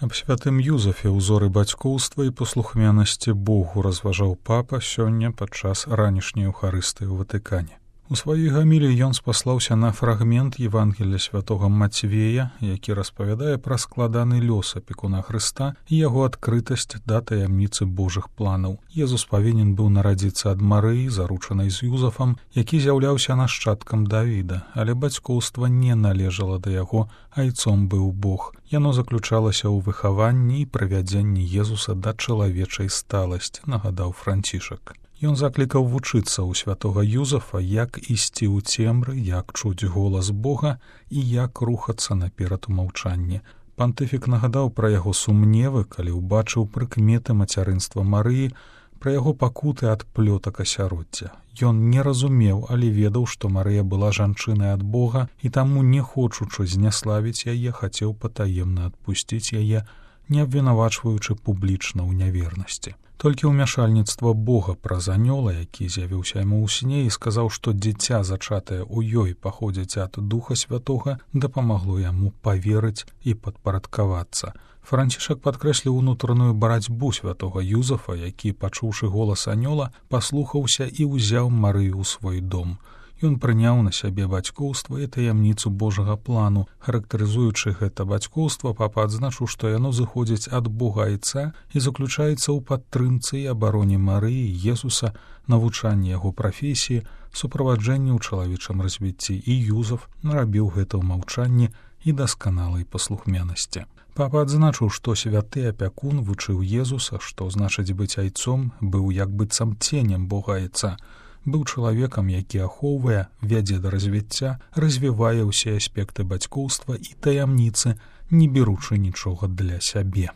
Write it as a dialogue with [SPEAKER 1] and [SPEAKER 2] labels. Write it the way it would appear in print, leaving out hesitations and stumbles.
[SPEAKER 1] Аб святым Юзафе ўзоры бацькоўства і паслухмянасці Богу разважаў папа сёння падчас ранішняй Еўхарыстыі ў Ватыкане. У сваёй гамілі ён спаслаўся на фрагмент Евангелія святога Мацвея, які распавядае пра складаны лёс апекуна Хрыста і яго адкрытасць да таямніцы Божых планаў. Езус павінен быў нарадзіцца ад Марыі, заручанай з Юзафам, які з'яўляўся нашчадкам Давіда, але бацькоўства не належала да яго, айцом быў Бог. Яно заключалася ў выхаванні і правядзенні Езуса да чалавечай сталасці, нагадаў Францішак. Ён заклікаў вучыцца ў святога Юзафа, як ісці ў цемры, як чуць голас Бога і як рухацца наперад у маўчанні. Пантыфік нагадаў пра яго сумневы, калі ўбачыў прыкметы мацярынства Марыі, пра яго пакуты ад плётак асяроддзя. Ён не разумеў, але ведаў, што Марыя была жанчынай ад Бога і таму, не хочучы зняславіць яе, хацеў патаемна адпусціць яе, не абвінавачваючы публічна ў нявернасці. Толькі ўмяшальніцтва Бога праз анёла, які з'явіўся яму ў сне і сказаў, што дзіця, зачатае ў ёй, паходзіць ад Духа Святога, дапамагло яму паверыць і падпарадкавацца. Францішак падкрэсліў унутраную барацьбу святога Юзафа, які, пачуўшы голас анёла, паслухаўся і ўзяў Марыю ў свой дом. Ён прыняў на сябе бацькоўства і таямніцу Божага плану. Характарызуючы гэта бацькоўства, папа адзначыў, што яно зыходзіць ад Бога Айца і заключаецца ў падтрымцы і абароне Марыі, Езуса, навучанні яго прафесіі, суправаджэнні ў чалавечым развіцці, і Юзаф нарабіў гэта ў маўчанні і дасканалай паслухмянасці. Папа адзначыў, што святы апякун вучыў Езуса, што значыць быць айцом, быў як быццам ценем Бога Айца, быў чалавекам, які ахоўвае, вядзе да развіцця, развівае ўсе аспекты бацькоўства і таямніцы, не беручы нічога для сябе.